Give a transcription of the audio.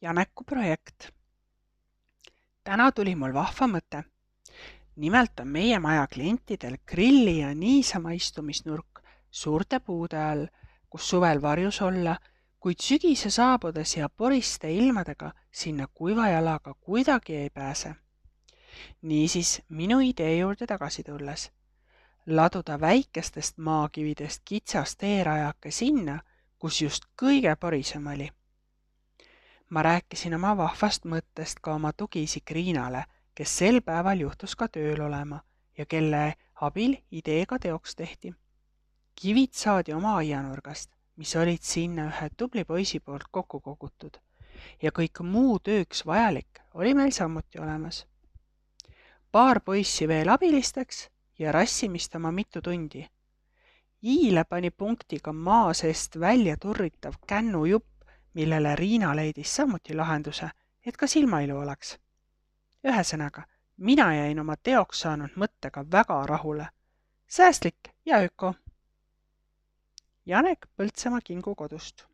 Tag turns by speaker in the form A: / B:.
A: Janeku projekt. Täna tuli mul vahva mõte. Nimelt on meie maja klientidel grilli ja niisama istumisnurk suurte puude all, kus suvel varjus olla, kuid sügise saabudes ja poriste ilmadega sinna kuiva jalaga kuidagi ei pääse. Niisiis minu idee juurde tagasi tulles. Laduda väikestest maakividest kitsas teerajake sinna, kus just kõige porisem oli. Ma rääkisin oma vahvast mõttest ka oma tugiisik Riinale, kes sel päeval juhtus ka tööl olema ja kelle abil ideega teoks tehti. Kivid saadi oma aianurgast, mis olid sinna ühe tubli poisi poolt kokku kogutud ja kõik muu tööks vajalik oli meil samuti olemas. Paar poissi veel abilisteks ja rassimist oma mitu tundi. Iile pani punktiga maa seest välja turritav kännujupp, millele Riina leidis samuti lahenduse, et ka silmailu oleks. Ühesõnaga, mina jäin oma teoks saanud mõttega väga rahule. Säästlik ja öko. Janek Põltsamaa Kingu kodust.